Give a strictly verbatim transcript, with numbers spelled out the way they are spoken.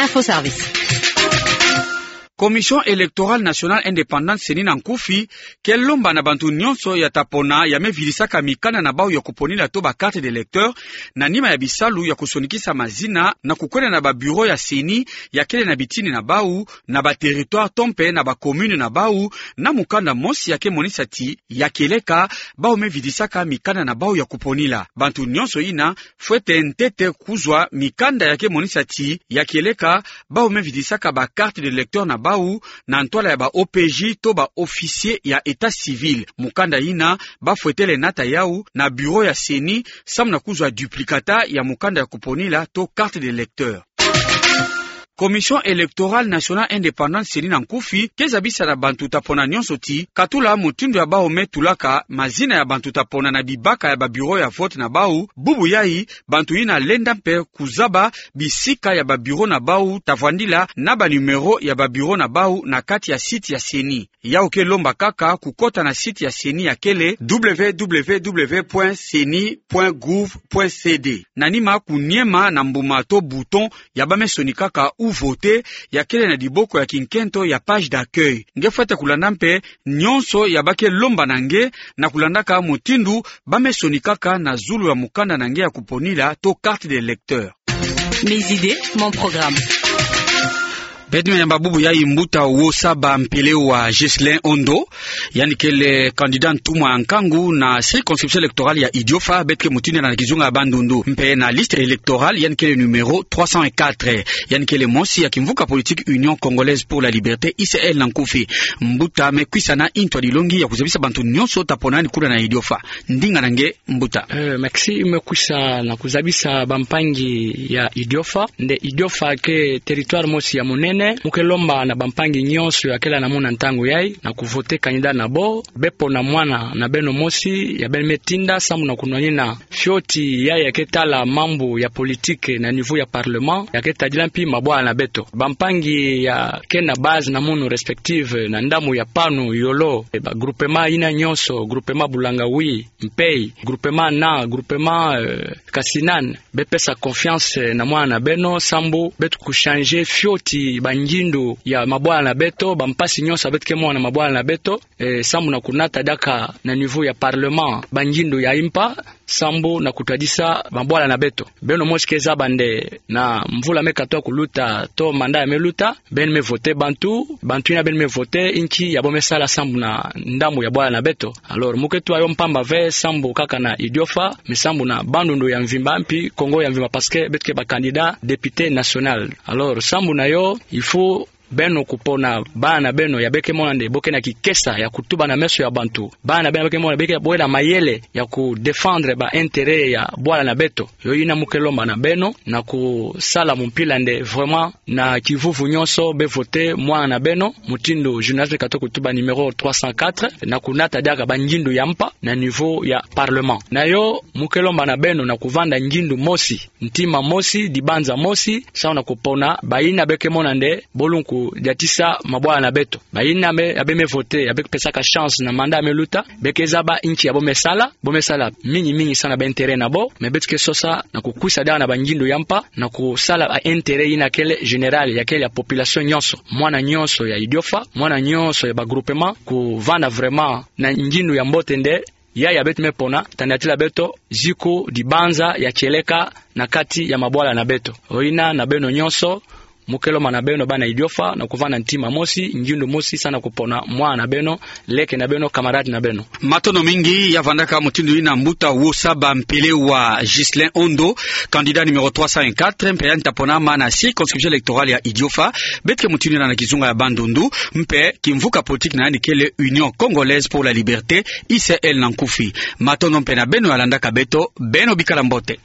Info Service. Commission Électorale Nationale Indépendante, CENI, na nkufi ke lomba na bantu nyonso ya ta pona ya me vidisaka mikanda na bawu ya kuponila to ba carte d'électeur na nima ya bisalu ya kusonikisa mazina na kukwenda na ba bureau ya CENI ya kele na bitini na bawu, na ba territoire to mpe na ba commune na bawu, na mukanda mosi ya ke monisa ti ya kieleka bawu me vidisaka mikanda na bawu ya kuponila. Bantu nyonso yina fwete ntete kuzwa mikanda ya ke monisa ti ya kieleka bawu me vidisaka ba carte d'électeur na bawu na ntwala ya ba OPJ to ba officier ya état civil. Mukanda yina ba fwetele nata yawu na bureau ya CENI samu na kuzwa duplicata ya mukanda ya kuponila to carte d'électeur. Commission Électorale Nationale Indépendante, CENI, na nkufi ke zabisa na bantu ta pona nyonso ti katula mutindu ya bawu me tulaka mazina ya bantu ta pona na bibaka ya ba bureau ya vote na bawu, bubu yayi bantu yina lenda mpe kuzaba bisika ya ba bureau na bawu ta vwandila na ba numéro ya ba bureau na bawu na kati ya site ya CENI. Yawu ke lomba kaka kukota na site ya CENI ya kele www.ceni.gouv.cd. Na nima kuniema na mbuma to bouton ya ba me sonikaka ou voter ya kele na diboko ya kinkento ya page d'accueil. Nge fwete kulanda mpe nyonso ya ba ke lomba na nge na kulandaka mutindu ba me sonikaka na zulu ya mukanda na nge ya kuponila to carte d'électeur. Mes idées, mon programme. Beto me yamba bubu yayi mbuta Wosaba Mpelewa Ghislain Ondo, yandi kele candidat ntumwa ya nkangu na circonscription électorale ya Idiofa, beto ke mutindu na kizunga ya Bandundu. Mpe na liste électorale, yandi kele numéro trois cent quatre, yandi kele mosi ya kimvuka politique Union Congolaise pour la Liberté, U C L na nkufi. Mbuta, me kwisa na ntu ya dilongi ya kuzabisa bantu nyonso ta pona yandi kuna na Idiofa. Ndinga na nge, mbuta. Eh, merci, me kwisa na kuzabisa bampangi ya Idiofa. Nde Idiofa ke territoire mosi ya munene. Mu ke lomba na bampangi nyonso ya kele na muna ntangu yayi na ku voter candidat na bo, be pona mwana na beno mosi ya beno me tinda samu na kunwanina fioti yayi ya ke tala mambu ya politique na niveau ya parlement, ya ke tadila mpi mabwala na beto. Bampangi ya ke na base na munu respective na ndamu ya Panu, Yolo, eh, ba groupement yina nyonso, groupement Boulangaoui, Mpei, groupement Na, groupement, euh, Kasinane, be pesa confiance, euh, na mwana na beno, sambu beto ku changer fioti bangindu ya mabwala na beto, bampasi nyonso beto ke mona na mabwala na beto, eh, sambu na kunata diaka na niveau ya parlement bangindu ya impa, sambu na kutadisa mabwala na beto. Beno mosi ke zaba nde na mvula me katoa kuluta, to mandat ya me luta, beno me voter bantu, bantu yina beno me voter, inki ya bo me sala sambu na ndamu ya bwala na beto. Alors, mu ke twa yo mpamba ve sambu kaka na Idiofa, mais sambu na Bandundu ya mvimba, mpi Kongo ya mvimba, parce que beto ke ba candidat député national. Alors, sambu na yo, il faut beno kupona bana na beno ya be ke mona nde bo ke na kikesa ya kutuba na meso ya bantu. Bana na beno ya be ke mona be ke bwela mayele ya ku défendre ba intérêt ya bwala na beto. Yo yina mu ke lomba na beno na kusala mumpila nde vraiment na kivuvu nyonso be voter mwana na beno, mutindu journaliste katoa kutuba, numéro trois cent quatre, na kunata diaka bangindu ya mpa na niveau ya parlement. Na yo mu ke lomba na beno na kuvanda ngindu mosi, ntima mosi, dibanza mosi, sambu na kupona bayina be ke mona nde bo lungku diatisa mabwala na beto. Bayina me, ya be me voter, ya be pesaka chance na mandat ya me luta, be ke zaba inki ya bo me sala, bo me sala mingi mingi sambu na ba intérêt na bo, mais beto ke sosa na kukwisa diaka na bangindu ya mpa, na kusala ba intérêt yina kele général, ya kele ya population nyonso, mwana nyonso ya Idiofa, mwana nyonso ya ba groupement, kuvanda vraiment na ngindu ya mbote nde ya, ya beto me pona, ta niatila beto ziku dibanza ya kieleka na kati ya mabwala na beto. Yo yina na beno nyonso, mu ke lomba na beno bana Idiofa na kuvanda ntima mosi, ngindu mosi, sambu na kupona mwana na beno, leke na beno, camarade na beno. Matondo mingi, ya vandaka mutindu yina mbuta Wosaba Mpelewa Ghislain Ondo, candidat numéro trois cent quatre, mpe yandi ta pona ma na circonscription électorale ya Idiofa, beto ke mutindu yina na kizunga ya Bandundu, mpe kimvuka politique na yandi kele Union Congolaise pour la Liberté, U C L na nkufi. Matondo mpe na beno ya landaka beto, beno bikala mbote.